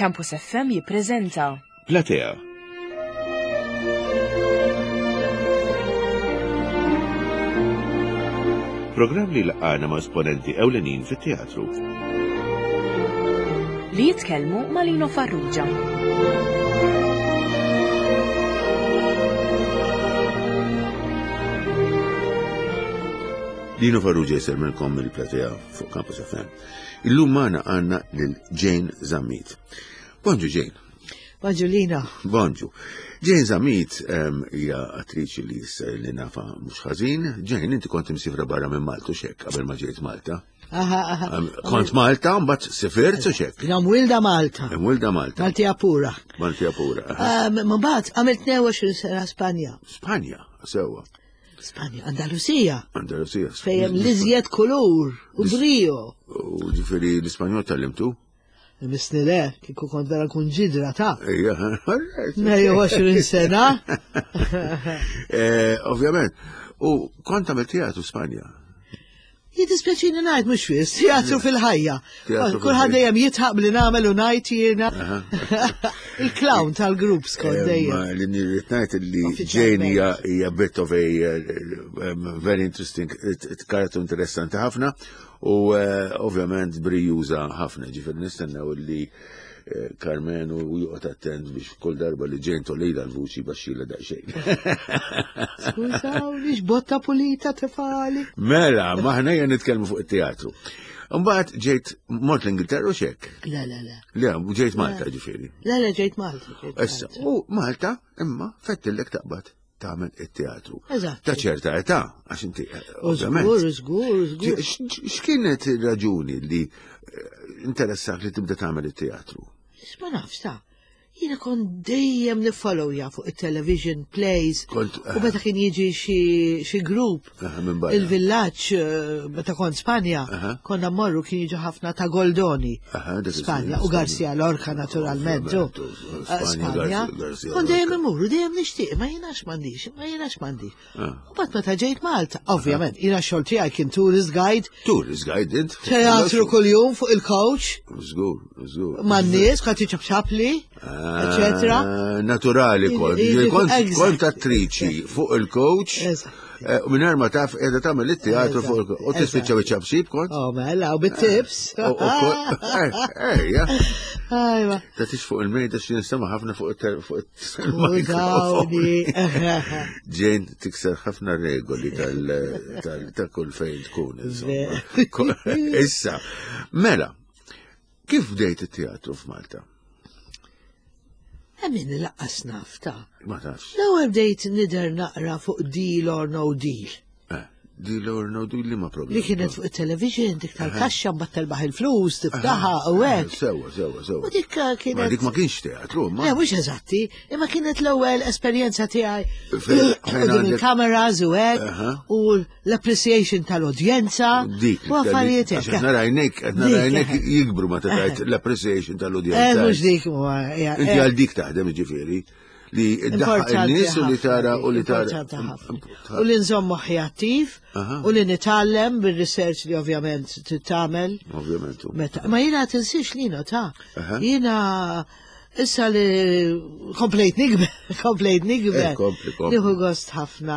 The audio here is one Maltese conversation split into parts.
Campus FM jippreżenta Platea. Programm li laqgħana ma' esponenti ewlenin fit-teatru. Li jitkellmu ma' Lino Farrugia. Lino Farrugia jisellmilkom mill-Platea fuq Campus FM. Illum magħna għandna lil Jane Zammit. Bonġu Jane. Bonġu Lina. Bonġu. Jane Zammit hija attriċi li li nafa mhux ħażin. Jane, inti kont imsifra barra minn Malta u xek qabel ma ġejt Malta. Aha, aha. Kont Malta, mbagħad sifirt u xek. Jina mwilda Malta. Mwilda Malta. Maltija pura. Maltija pura. Mbagħad għamilt 22 sena Spanja. Spanja, sewwa. Spanja, Andalusija. Andalusija. Fejn l-iżjed kulur u brio. U ġifieri l-Ispanjol tallimtu? Misni le, kieku kont vera kun ġidra ta' Ejja, 22 sena. Eh, ovvjament. U kont għamil teatru Spanja. Jiddispjaċini ngħid mhux fis, teatru fil-ħajja. Kulħadd dejjem jitħaq li nagħmel u ngħid jiena. Il-clown tal-grupp skont eh, dejjem. Li nirrid ngħid li Jane hija bit of a eh, very interesting karattru interessanti ħafna u eh, ovvjament brijuża ħafna ġifier nistennew li Carmen u joqgħod attent biex kull darba li ġejn tolila l-vuċi baxxila daqsxejn. Skużawni, x'botta pulita tefali. Mela, maħna hija nitkellmu fuq it-teatru. Mbagħad ġejt mort l-Ingilterra u xek? Le, le, le. Le, ġejt Malta ġifieri. Le, le, ġejt Malta. Issa, u Malta imma fettillek taqbad tagħmel it-teatru. Eżatt. Ta' ċerta età, għax inti. Eh, żgur, żgur, żgur. X'kienet ir-raġuni li eh, interessak li tibda tagħmel it-teatru? Ma nafx ta' jiena kont dejjem nifollowja fuq it-television plays. Kont, u meta kien jiġi xi grupp il-villaġġ eh, meta kont Spanja, konna mmorru kien jiġu ħafna ta' Goldoni. Spanja u Garcia Lorca naturalment. Eh, Spanja. Kon dejjem imur, dejjem nixtieq, ma jiena m'għandix, ma jiena m'għandix. Ah. U bat meta ġejt Malta, ovvjament, jiena xogħol tiegħi kien tourist guide. Tourist guide, int? Teatru kuljum fuq il-coach. Żgur, żgur. Man-nies, kont ċapċapli, ah, eċetera. Naturali kont. Kont attriċi fuq il-coach. Eh, u minn ma taf qiegħda tagħmel it-teatru fuq u tispiċċa biċ-ċapsib kont? Oh mela, u bit-tips. Ejja. Ajwa. Tatix fuq il-mejda xi nistema' ħafna fuq il-mikrofon. Ġejn tikser ħafna regoli tal kull fejn tkun. Issa, mela, kif bdejt it-teatru f'Malta? Għamin laqqas naf ta' Ma tafx. L-ewwel bdejt nidher naqra fuq deal or no deal. Eh, deal or no deal li ma problem. Li kienet fuq it-television, dik tal-kaxxa mbagħad telbaħ il-flus, tiftaħa u hekk. Sewa, sewa, sewa. U dik eh, kienet. Ma dik ma kienx teatru, ma. Le, mhux eżatti, imma kienet l-ewwel esperjenza tiegħi. Il-kameras u hekk u l-appreciation tal-udjenza. Dik. U affarijiet hekk. Qed narajnek, qed narajnek jikbru ma tgħid l-appreciation tal-udjenza. Eh, mhux dik Inti għal dik taħdem ġifieri li ddaħħaq in-nies u li tara u li tara. U li nżomm moħħi attiv u li nitgħallem bir-research li ovvjament titgħamel. Ovvjament. Ma jiena tinsiex li ta' jiena Issa li komplejt nikber, komplejt nikber. Eh, kompli, kompli. Nieħu gost ħafna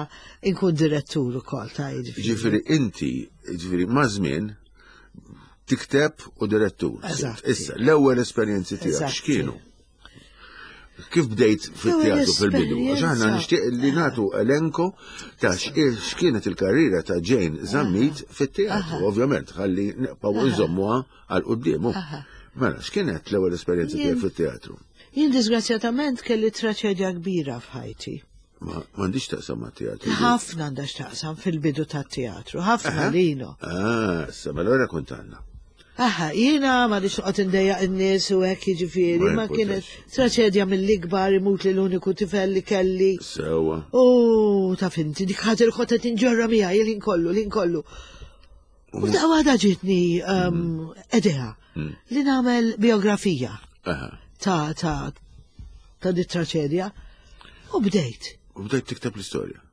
inkun direttur ukoll ta' jiġifieri. Ġifieri inti, ġifieri ma' żmien tikteb u direttur. Issa, l-ewwel esperjenzi tiegħek x'kienu? Kif bdejt fit-teatru fil-bidu? Għax aħna nixtieq li nagħtu elenko ta' x'kienet il-karriera ta' Jane Zammit fit-teatru, ovvjament, ħalli nibqgħu nżommuha għal quddiemu. Mela, x'kienet l-ewwel esperjenza tiegħek fit-teatru? Jien disgrazzjatament kelli traċedja kbira f'ħajti. Ma m'għandix taqsam ma' teatru. Ħafna għandha x'taqsam fil-bidu tat-teatru, ħafna lino. Ah, sa mela ora kont għandna. Aha, jiena ma nix noqgħod indejjaq in-nies u hekk jiġifieri, ma kienet traċedja mill-ikbar imut li l-uniku tifel li kelli. Sewwa. U taf inti dik ħaġa li kont qed inġorra miegħi il-ħin kollu, l-ħin kollu. U daqqa waħda ġietni um, mm. idea mm. li nagħmel biografija ta' ta' ta' dit traċedja u bdejt. U bdejt tikteb l-istorja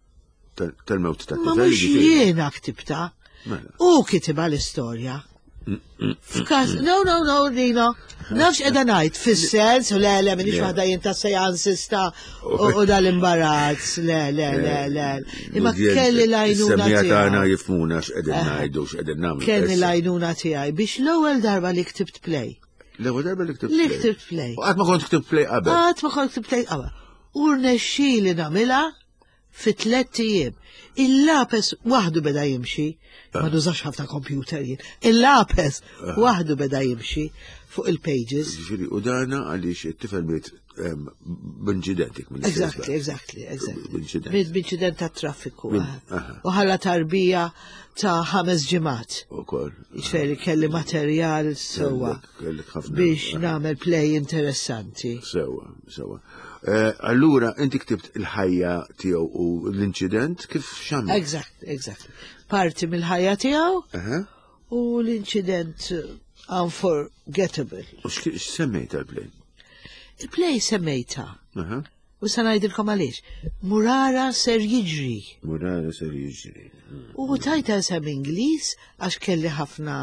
tal-mewt ta' Ma mhux jiena ktibta. Mela. U kitiba l-istorja. F'każ, no, no, no, Nino, nafx edha ngħid, fis-sens, le, le, minix waħda jien ta' sejansista u dal-imbarazz, le, le, le, le. Imma kelli l-għajnuna tiegħi. tagħna jifhmuna x'qegħdin eh. ngħidu, x'qegħdin nagħmlu. Kelli l-għajnuna tiegħi biex l-ewwel darba li ktibt play. L-ewwel darba li ktibt play. Li ktibt play. U qatt ma kont ktibt play qabel. Qatt ma kont ktibt play qabel. U rnexxieli nagħmilha fi tlett ijiem. Il-lapes waħdu beda jimxi, ma ah. nużax ħafna computer jien, il-lapes ah. waħdu beda jimxi fuq il-pages. Ġifieri, u dana għaliex it-tifel miet b'inċident jekk minn Exactly, exactly, exactly. B'inċident. B'inċident ta' traffiku. U ħalla tarbija ta' ħames ġimgħat. Ukoll. Ġifieri kelli materjal sewwa. Biex nagħmel play interessanti. Sewwa, sewwa. Eh, allura, inti ktibt il-ħajja tiegħu u l-inċident kif xamil? Exact, exact. Parti mill-ħajja tiegħu u l-inċident unforgettable. U x'semmejta l-play? Il-play semmejta. U sa ngħidilkom għaliex. Murara ser jiġri. Murara ser jiġri. U tajta sem Ingliż għax kelli ħafna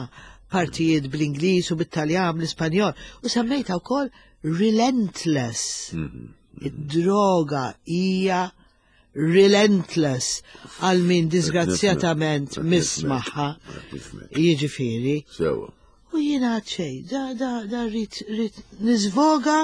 partijiet bl-Ingliż u bit-Taljan, bl-Ispanjol. U semmejta wkoll relentless. Mhm. Id-droga hija relentless għal min disgrazzjatament mismaħħa. Jiġifieri. Sewa. U jiena xej, da da da rrid rrid niżvoga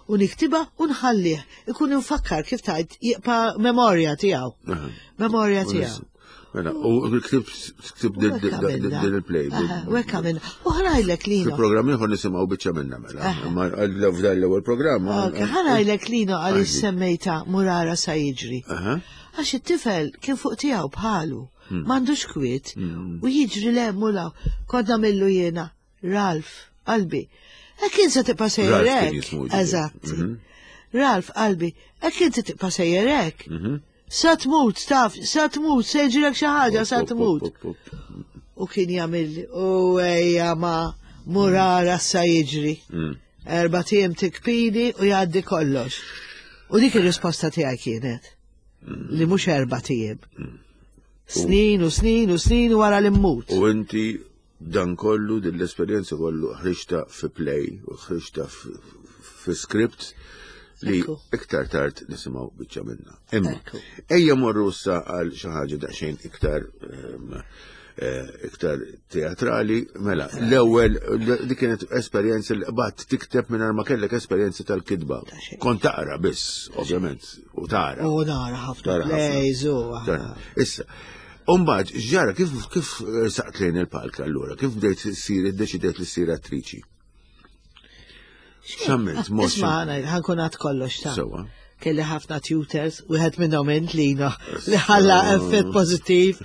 u niktiba u nħallih. Ikun infakkar kif tajt jibqa' memorja tiegħu. Memorja tiegħu. Mela, u ktib ktib din il-play. U hekk għamilna. U ħanajlek lino. Fil-programm ieħor nisimgħu biċċa minna mela. Ma f'dan l-ewwel programm. Ħanajlek lino għaliex semmejta Murara sa jiġri. Għax it-tifel kien fuq tiegħu bħalu. Hmm. M'għandux kwiet hmm. u jiġri le mula kont nagħmillu jiena Ralph qalbi. Hekk insa tibqa' sejjer hekk. Eżatt. Mhm. Ralph qalbi, hekk inti tibqa' sejjer hekk. Mhm. Sa tmut, taf, sa tmut, se jiġrilek xi ħaġa, sa tmut. U kien jagħmel u ejja ma murara sa jiġri. Mm. Erba' tiem tikpini u jgħaddi kollox. U dik ir-risposta tiegħi kienet mm. li mhux erba' tiem. Mm. Snin u snin u snin wara li mmut. U inti Dan kollu, din l-esperjenza kollu ħriġta fi play u ħriġta fi script li iktar tard nisimgħu biċċa minna. Imma ejja morru issa għal xi ħaġa daqsxejn iktar ehm, eh, iktar teatrali, mela, l-ewwel li kienet esperjenza li qbad tikteb mingħajr ma kellek esperjenza tal-kitba. Kont taqra biss, ovvjament, u tara. U nara ħafna plays u. Issa, Umbagħad, x'ġara, kif kif eh, saqt lejn il-palk allura? Kif bdejt ssir iddeċidejt li ssir attriċi? X'għamilt? Mod Isma' ħankun għad kollox ta' Sewa. Kelli ħafna tutors, wieħed minnhom int lina li ħalla effett pożittiv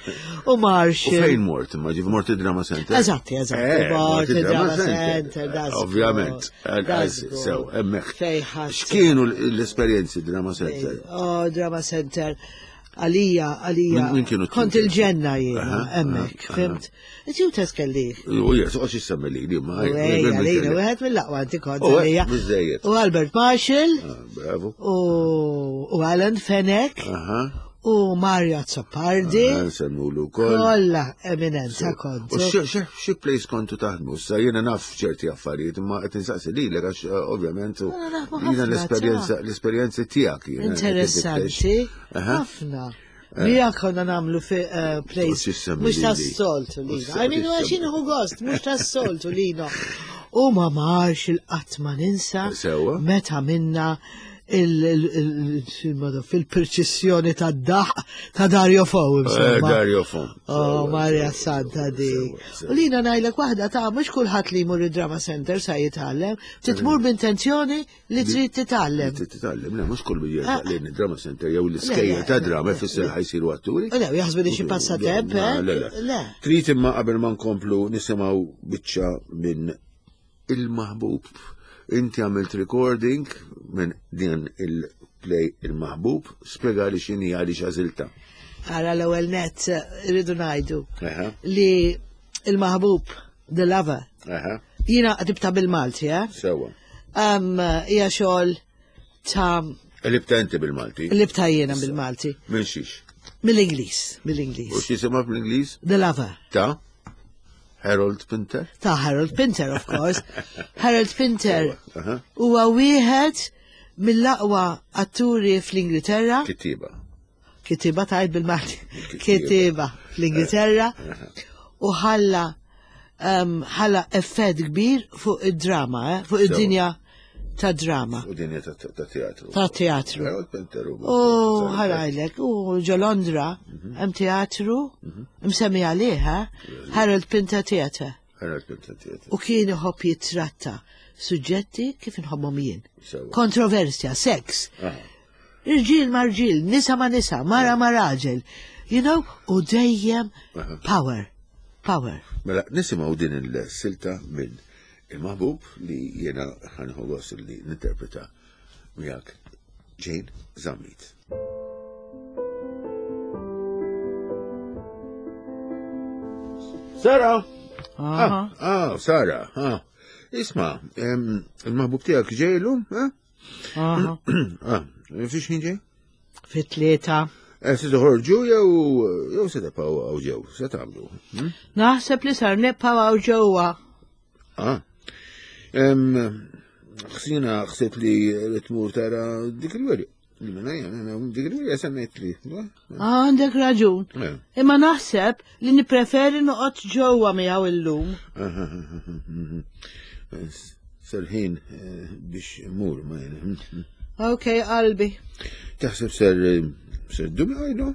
u Marshall. U fejn mort imma ġif mort id-drama center? Eżatti, eżatti. Eh, mort id-drama center, Ovvjament. Sew, hemmhekk. X'kienu l-esperjenzi drama center? Oh, drama center. Għalija, għalija. Min kienu Kont il-ġenna jiena, hemmhekk, fimt? It-tutors kelli. U jes, u xissemmi li, li ma. Għalina, wieħed mill-aqwa inti kont għalija. U Albert Marshall. Ah, bravo. U Alan Fenech. U Mario Azzopardi. Ah, Semmulu kol. Kolla eminenza kont. U xi place kontu taħdmu? Sa jiena naf ċerti affarijiet, imma qed insaqsi lilek għax eh, ovvjament jiena l-esperjenza l-esperjenzi tiegħek. Interessanti. Ħafna. Eh. Mija konna namlu fi eh, place. Mux ta' soltu lino. I mean, għax hu gost, mux ta' soltu lino. U ma marx il-qatt ma ninsa. Meta minna fil-perċessjoni ta' daħ ta' Dario Fo. Eh, Dario Fo. Oh, Maria Santa di. U lina najlek waħda ta' mux kulħadd li jmur id-drama center sa' jitgħallem, titmur b'intenzjoni Li trid titgħallem. Trid titgħallem, le mhux kull min jerġa' ah. lejn id-drama center jew l-iskejjel ta' drama jfisser ħajsiru atturi. Le, jaħsbu li xi passatemp, eh? Le, le. Trid imma qabel ma nkomplu nisimgħu biċċa minn il-maħbub. Inti għamilt recording minn din il-play il-maħbub, spjega li x'inhi għaliex għażilta. Ara l-ewwel net rridu ngħidu li il-maħbub The Lover. Jina qdibta bil-Malti, eh? Sewa. Hija xogħol ta' Libta inti bil-Malti. Libta jiena bil-Malti. Minn xiex? Mill-Ingliż, mill-Ingliż. U x'jisimha bl-Ingliż? The Lover. Ta' Harold Pinter? Ta' Harold Pinter, of course. Harold Pinter huwa wieħed mill-aqwa atturi fl-Ingilterra. Kittiba. Kittiba tajt bil-Malti. Kittiba fl-Ingilterra. U ħalla ħalla effett kbir fuq id-drama, eh? fuq id-dinja ta' drama. U dinja ta' teatru. Ta' teatru. U ħarajlek, u ġo Londra, mhm. hemm teatru, mhm. msemmi għalih, eh? Harold Pinter Theatre. Harold Pinter Theatre. U kien iħobb jitratta suġġetti kif inħobbhom jien. Kontroversja, seks. Irġiel ma' rġiel, nisa ma' nisa, mara ma' raġel. You know, u dejjem power. Power. Mela, nisimgħu din il-silta minn il-maħbub li jena ħanħu gost li ninterpreta miegħek Jane Zammit. Sara! Ah, ah, Sara, ah. Isma, il-maħbub tiegħek ġejlu, eh? Ah, fiex ħin ġej? Fit-tlieta. Eh, se toħorġu jew jew se tibqgħu hawn ġew, se tagħmlu. Hm? Naħseb li sar nibqgħu hawn ġewwa. Ah. Ħsina ħsibt li tmur tara dik il-weri. Dik il-weri semmejt li. Għandek raġun. Eh. Imma naħseb li nippreferi noqgħod ġewwa miegħu illum. Serħin eh, biex mur ma jien. Ok, qalbi. Taħseb ser ser dumi għajdu?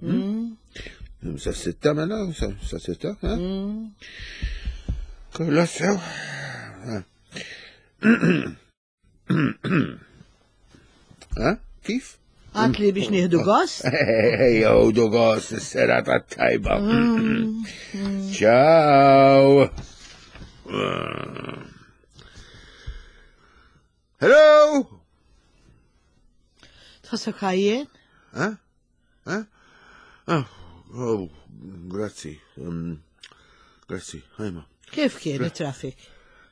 Mm. Sa sitta mela, sa sitta, ha? Mm. Kolla sew. Ha? Kif? Għatli biex nieħdu gost? Ejja, ħudu gost, is-serata tajba. Mm. Ciao! Hello! Tħossok ħajjen? Eh? Eh? Ah, oh, grazzi. Um, grazzi, ħajma. Kif kien it-traffic?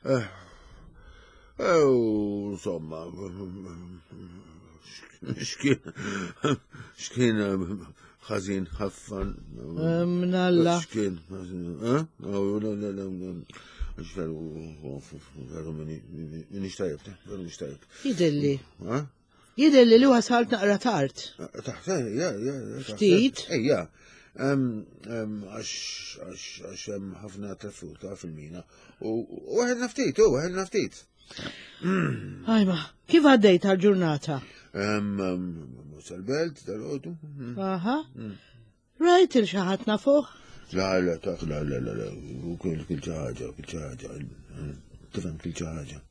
Eh, oh, insomma, xkien, xkien ħażin ħafna. Mnalla. Xkien, ħażin, eh? Oh, la, la, la, la. Veru, veru, minix tajib, veru minix tajib. Jidilli. Eh? Jidher li wasalt naqra tard. Taħt, ja, ja. Ftit. Ejja. Għax għax hemm ħafna traffiku ta' fil-mina. U waħedna ftit, u waħedna ftit. Ajma, kif għaddejt għal-ġurnata? Sal-belt, dal-ħodu. Aha. Mm. Rajt il xi ħadd nafuh? La, la, ta' la, la, la, la, kull xi ħaġa, kull xi ħaġa. Tifhem kull xi ħaġa.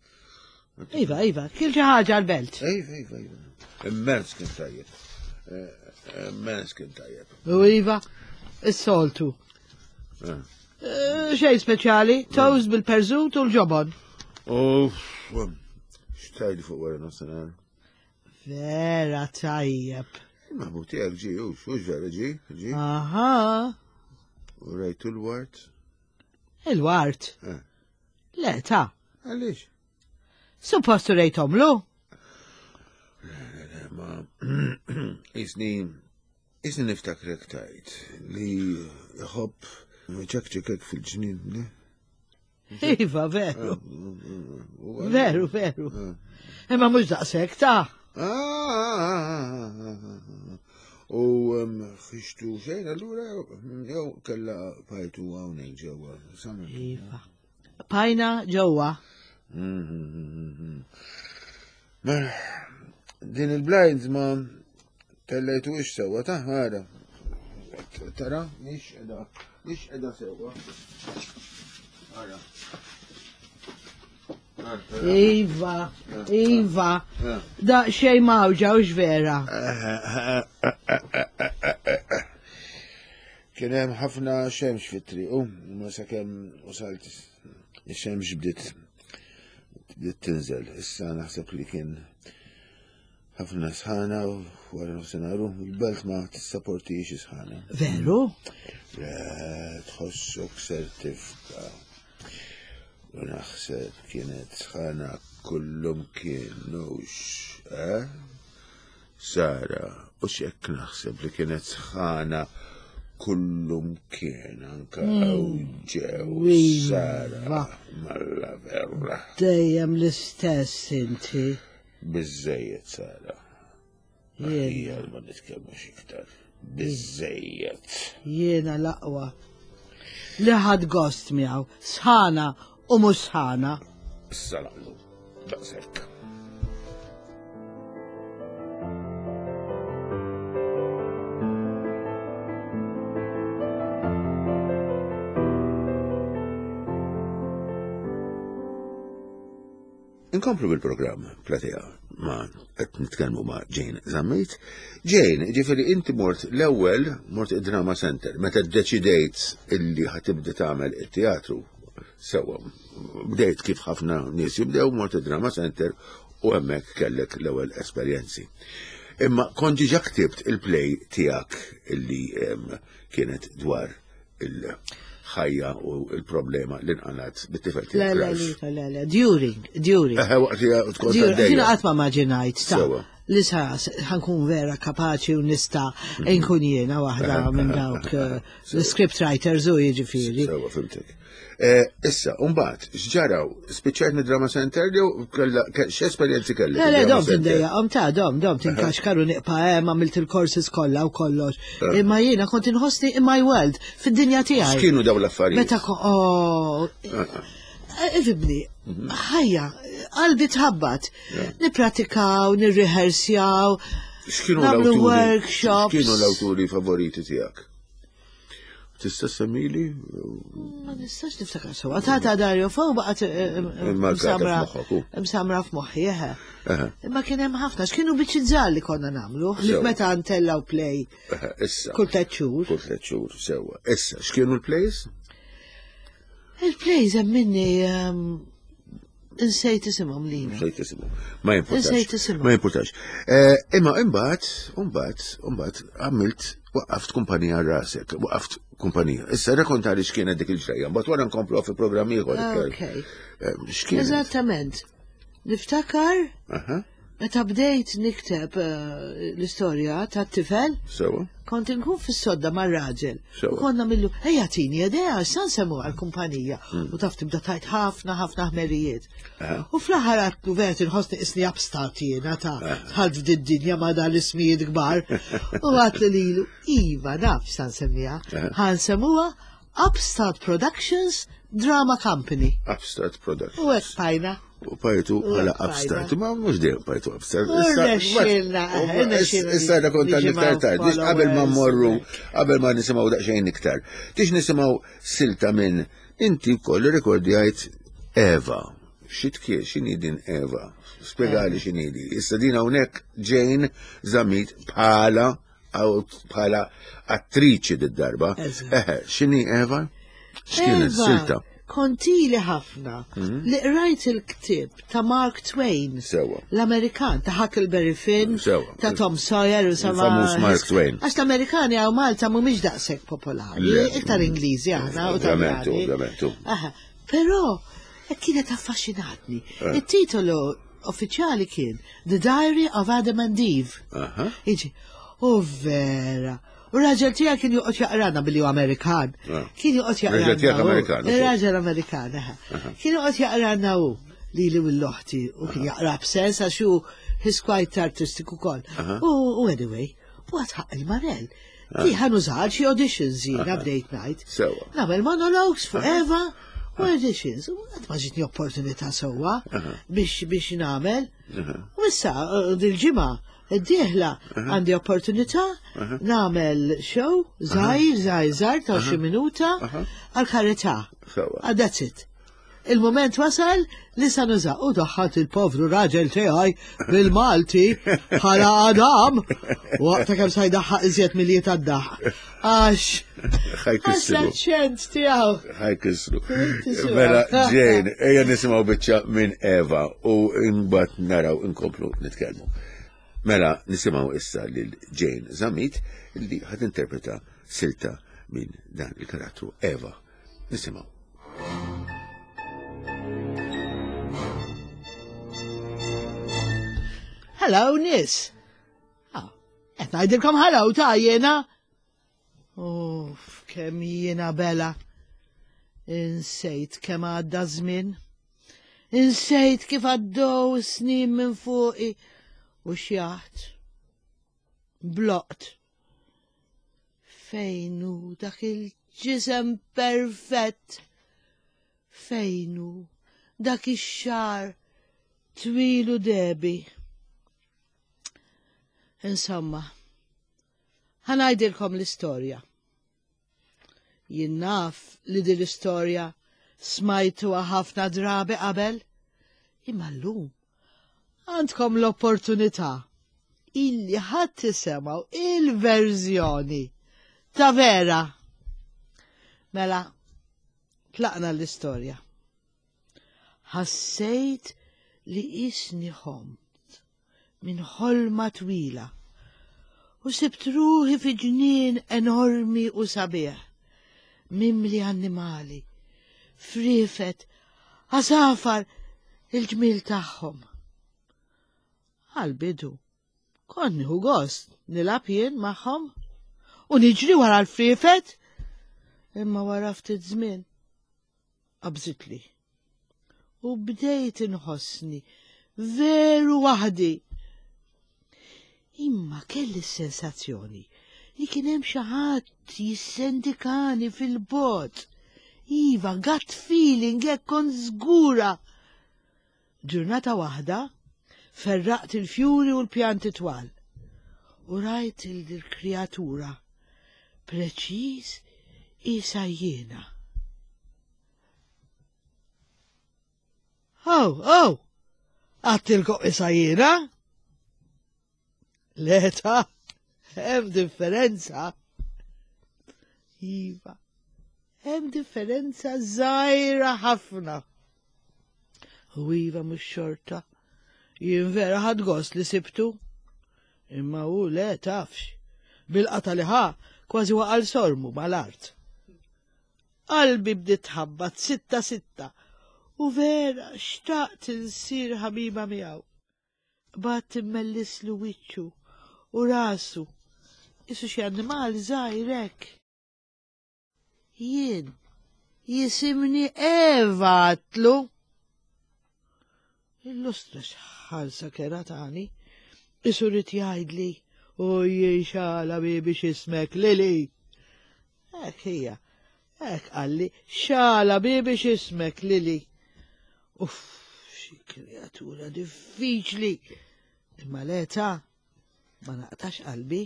Iva, iva, kien xi ħaġa l-belt. Iva, iva, iva. Immens kien tajjeb. Eh, immens kien tajjeb. U iva, is-soltu. Eh. Eh, xejn speċjali, toast bil-perżut u l-ġobon. U xtajdi fuq wara nofsinhar. Vera tajjeb. Ma bu tiegħek ġi, u xux vera ġi, ġi. Aha. U rajtu l-wart? Il-wart? Le, ta. Għaliex? Suppost rejtomlu? Le, le, le, ma jisni jisni niftakrek tajt li jħobb ċekċekek fil-ġnien, le? Iva, veru. Ah, veru, veru. Ah. Imma mhux daqshekk ta' ah, U xixtu xejn allura jew kella pajtu hawnhekk ġewwa. Iva. Pajna ġewwa. Mela, din il-blinds ma tellejtu ix sewwa ta' ħara. Tara, mhix qiegħda, mhix qiegħda sewwa. Ara. Iva, iva. Da xej mawġa u vera. Kien hemm ħafna xemx fit-triq, u ma sakemm wasalt ix-xemx bdiet bdiet tinżel. Issa naħseb li kien ħafna sħana u wara nofsinhar il-belt ma tissaportix sħana. Veru? Le, tħossok ser tifka. U naħseb kienet sħana kullum kienux, eh? Sara, u x'hekk naħseb li kienet sħana Kullum kien anka mm. ġew Sara malla verra. Dejjem l-istess inti. Biżejjed Sara. Aħjar ma nitkellmux iktar. Biżejjed. Jiena l-aqwa. Li ħad gost miegħu, sħana u mhux sħana. Issa naqlu. Daqshekk. Inkomplu bil-programm Platea ma qed nitkellmu ma' Jane Zammit. Jane, ġifieri inti mort l-ewwel mort id-Drama Center meta ddeċidejt illi ħatibda tagħmel it-teatru. Sewwa, bdejt kif ħafna nies jibdew mort id-Drama Center u hemmhekk kellek l-ewwel esperjenzi. Imma kont diġà ktibt il-play tiegħek illi kienet dwar il-ħajja u il-problema li nqalat bit-tifel tiegħek. Le, le, le, le, during, during. Eħe, waqt li tkun għaddejja. Jiena qatt ma maġinajt, ta' li sa ħankun vera kapaċi u nista' mhm. nkun jiena waħda minn dawk eh, l-script writers u jiġifieri. Sewa, fimtek. Eh, issa, umbat, xġaraw, spiċċajt mid drama center jew x'esperjenzi kellek? Le, le, dom tindejja, om ta' dom, dom tinkaxkar u niqpa hemm għamilt il-courses kollha u kollox. Eh. Imma jiena kont inħossni in my world, fid-dinja tiegħi. X'kienu dawn l-affarijiet? Meta oh, eh, ifibni, mhm. ħajja, qalbi tħabbat. Nipratikaw, nirrihersjaw, X'kienu l-awturi? Workshops. X'kienu l-awturi favoriti tiegħek? Tista' semmili? Ma nistax niftakar sewa. Tata Dario Fo baqgħet eh, eh, msamra f'moħħi, eħe. Imma kien hemm ħafna, x'kienu biċċi żgħar li konna nagħmlu, li meta ntellaw play. Issa. Kull tliet xhur. Kull tliet xhur, sewwa. Issa, x'kienu l-plays? Il-plays hemm minni ehm, Insejt isimhom li. Insejt isimhom. Ma jimpurtax. Insejt isimhom. Ma jimpurtax. Eh, imma imbagħad, imbagħad, imbagħad għamilt waqqaft kumpanija rasek, waqqaft kumpanija. Issa rekontali x'kienet dik il-ġrejja, mbagħad wara nkomplu fi programm ieħor. Okay. Eh, x'kienet? Eżattament. Niftakar Meta bdejt nikteb eh, l-istorja tat-tifel, Sewa. kont inkun fis-sodda mar-raġel. Sewa. U konna millu, ejja tini idea, x'san semmu għall-kumpanija. U taf tibda tajt ħafna ħafna ħmerijiet. U fl-aħħar għatlu vera inħossni isni upstart jiena ta' dħalt f'did-dinja ma' dan l-ismijiet kbar. U għatlu lilu, iva naf x'san semmiha. Ħan semmuha Upstart Productions Drama Company. Upstart Productions. U hekk pajna. U pajtu bħala Upstart, ma mhux dejjem pajtu Upstart. Issa da kontan iktar tard, biex qabel ma mmorru, qabel ma nisimgħu daqsxejn iktar. Tix nisimgħu silta minn inti wkoll irrekordjajt Eva. Xi tkie, x'inhi din Eva? Spjegali x'inhi di. Issa din hawnhekk Jane Zammit bħala bħala attriċi d-darba. Eħe, x'inhi Eva? X'kienet silta? Kontili ħafna mhm. li qrajt il-ktib ta' Mark Twain. Sewa. L-Amerikan ta' Huckleberry Finn, ta' Tom Sawyer u sama. Famuż Mark Twain. Għax l-Amerikani għaw Malta mhumiex daqshekk popolari, iktar Ingliżi aħna u Ovvjament, ovvjament. Però kienet affaxxinatni. Eh. Il-titolu uffiċjali kien The Diary of Adam and Eve. Iġi, u vera. U raġel tiegħek kien joqgħod jaqrana billi hu Amerikan. Ah. Kien joqgħod jaqrana. Raġel tiegħek Amerikan. Raġel Amerikan, Kien joqgħod jaqrana hu li li l-oħti u kien jaqra b'sens għax hu he's quite artistic ukoll. U anyway, u għatħaq il-marell. Ah. Di ħan użar xi auditions jiena bdejt ngħid. Sewa. Nagħmel monologues fuq Eva u auditions. U qatt ma ġitni opportunità sewwa biex biex nagħmel. U issa eh, dil-ġimgħa d-dieħla għandi opportunità nagħmel show żgħir żgħir żgħir ta' xi minuta għal karità. Sewa. Ah, that's it. Il-mument wasal li sa nuża u daħħalt il-povru raġel tiegħi bil-Malti bħala Adam waqta kemm sa jdaħħaq iżjed milli tad-daħ. Għax għax l-aċċent tiegħu. Ħajkisru. Mela Jane, ejja nisimgħu biċċa minn Eva u mbagħad naraw inkomplu nitkellmu. Mela nisimgħu issa lil Jane Zammit li ħad interpreta silta minn dan il-karattru Eva. Nisimgħu. Hello, nis. Ah, qed ngħidilkom hello ta' jiena. Oh. Uff, kemm jiena bela. Insejt kemm għadda żmien. Insejt kif għaddew snin minn fuqi u xjaħt. Bloqt. Fejn hu dak il-ġisem perfett? Fejn hu dak ix-xagħar twil u dehbi? Insomma, ħa ngħidilkom l-istorja. Jien naf li din l-istorja smajtuha ħafna drabi qabel, imma llum għandkom l-opportunità illi ħadd tisemgħu il-verżjoni ta' vera. Mela, tlaqna l-istorja. Ħassejt li qisni ħomt minn ħolma twila u sibt ruħi fi ġnien enormi u sabiħ, mimli annimali, friefet, għasafar il-ġmiel tagħhom. Għal-bidu, kont nieħu gost nilgħab jien magħhom u niġri wara l-friefet, imma wara ftit żmien qabżitli. U bdejt inħossni veru waħdi. Imma kelli s-sensazzjoni li kien hemm xi ħadd jissendikani fil-bogħod. Iva, gut feeling hekk kont żgura. Ġurnata waħda ferraqt il-fjuri u l-pjanti twal u rajt il-kreatura preċiż isa jiena. Aw, aw, għattilkom isa jiena? L-età, hemm differenza. Iva, hemm differenza żgħira ħafna. U iva mhux xorta. Jien vera ħadd gost li sibtu. Imma hu le tafx. Bil-qata li ħa kważi waqal sormu mal-art. Qalbi bdiet tħabbat sitta sitta u vera xtaqt insir ħabiba miegħu. Qbadt immellislu wiċċu u rasu, qisu xi annimal żgħir hekk. Jien jisimni Eva għadtlu. Illustra x'ħarsa kera tani. Isu rid jgħidli u xala bibi x'ismek Lili. Hekk hija. Hekk qalli, xala bibi x'ismek Lili. Uff, xi kreatura diffiċli. Imma l-età ma naqtax qalbi.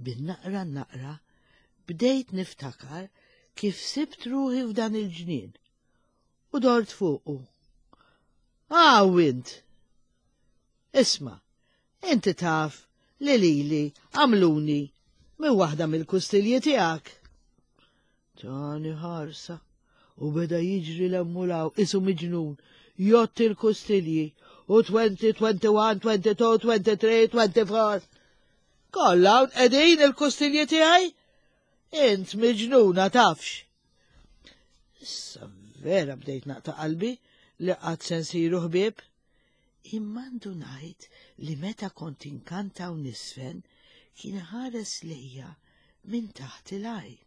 Bin-naqra naqra bdejt niftakar kif sibt ruħi f'dan il-ġnien u dort fuqu. Aw int! Isma', inti taf li lili għamluni minn waħda mill-kustilji tiegħek. Tani ħarsa u beda jiġri l-emmulaw isu miġnun jott il-kustilji u 20, 21, 22, 23, 24. Kollha hawn qegħdin il-kustilji tiegħi? Int miġnuna tafx. Issa vera bdejt naqta' qalbi li qatt se nsiru ħbieb. Imma ndunajt li meta kont inkanta u nisfen kien ħares lejja minn taħt il-għajn.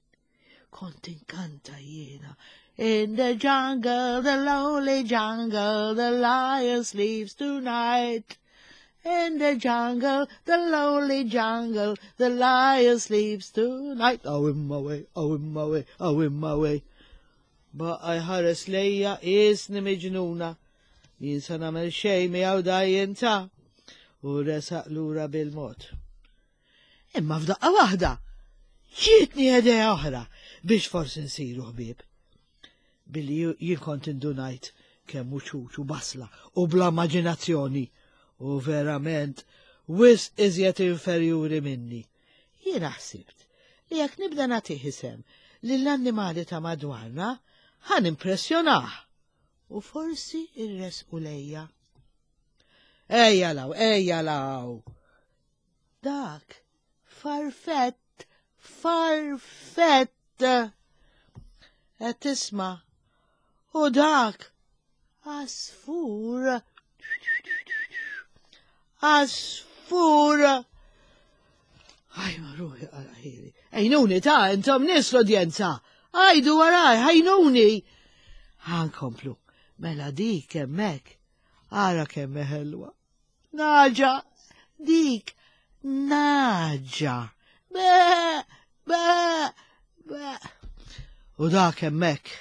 Kont inkanta jiena. In the jungle, the lonely jungle, the lion sleeps tonight. In the jungle, the lonely jungle, the lion sleeps tonight. Oh, in my way, oh, in my way, oh, in my way. Baqa jħares lejja isni miġnuna. Jien sa nagħmel xejn miegħu dajjen ta' u resaq lura bil-mod. Imma f'daqqa waħda ġietni idea oħra biex forsi nsiru ħbieb. Billi jien kont indunajt kemm hu ċuċ u basla u bla immaġinazzjoni u verament wisq iżjed inferjuri minni. Jiena ħsibt li jekk nibda nagħtih isem lill-annimali ta' madwarna ħa nimpressjonah u forsi rresqu lejja. Ejja law, ejja law! Dak farfett, farfett! Qed tisma' u dak għasfur. Għasfur! Aj, ma ruħi għal ħili. Għinuni ta' intom nies l-udjenza. Għajdu waraj, ħajnuni. Ħankomplu. Mela dik hemmhekk. Ara kemm ħelwa. Naġa, dik, naġa. Be, be, be. U dak hemmhekk,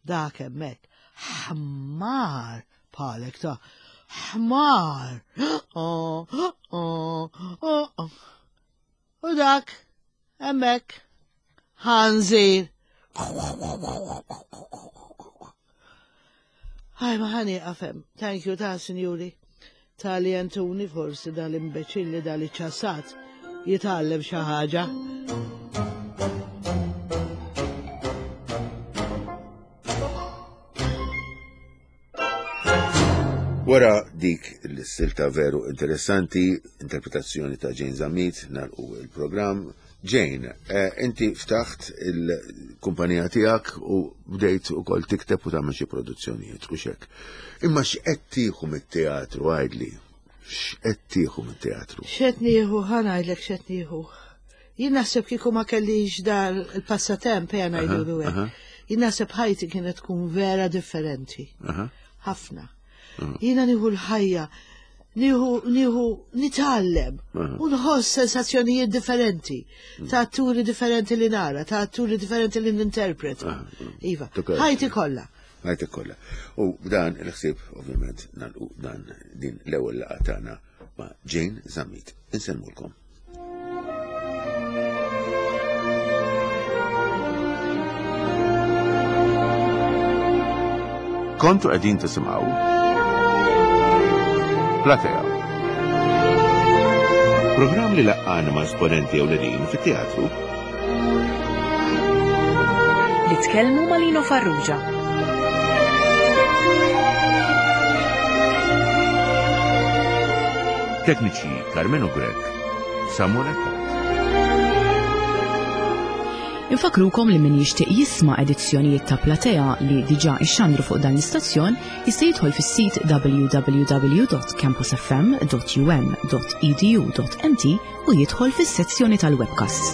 dak hemmhekk. Ħmar bħalek ta' ħmar. Oh, oh, oh, U dak, hemmhekk, ħanżir. Ħaj ma ħani għafem. Thank you ta' sinjuri. Ta' li jentuni forsi dal-imbeċilli dal-ċassat jitgħallem xi ħaġa. Wara dik l-silta veru interessanti, interpretazzjoni ta' Jane Zammit, nalqu il-programm. Jane, eh, inti ftaħt il-kumpanija tiegħek u bdejt ukoll tikteb u tagħmel xi produzzjonijiet u xek. Imma x'qed tieħu mit-teatru għidli? X'qed tieħu mit-teatru? X'qed nieħu, ħa ngħidlek x'qed nieħu. Jien naħseb kieku ma kellix dar il-passatemp ejja ngħidulu hekk. Jien naħseb ħajti kienet tkun vera differenti. Ħafna. Jiena nieħu l-ħajja, nieħu nieħu nitgħallem u nħoss sensazzjonijiet differenti mm. ta' atturi differenti li nara, ta' atturi differenti li ninterpreta. Iva, ħajti kollha. Ħajti kollha. U b'dan il-ħsieb ovvjament nagħlqu dan din l-ewwel laqgħa tagħna ma' Jane Zammit. Insellmulkom. Kontu qegħdin tisimgħu Platea. Programm li laqqana ma' esponenti ewlenin fit-teatru. Li tkellmu ma' Lino Farrugia. Tekniċi Carmenu Grech, Samuel Attard. Infakrukom li min jixtieq jisma' edizzjonijiet ta' Platea li diġà ixxandru fuq dan l-istazzjon jista' jidħol fis-sit www.campusfm.um.edu.mt u jidħol fis-sezzjoni tal-webcasts.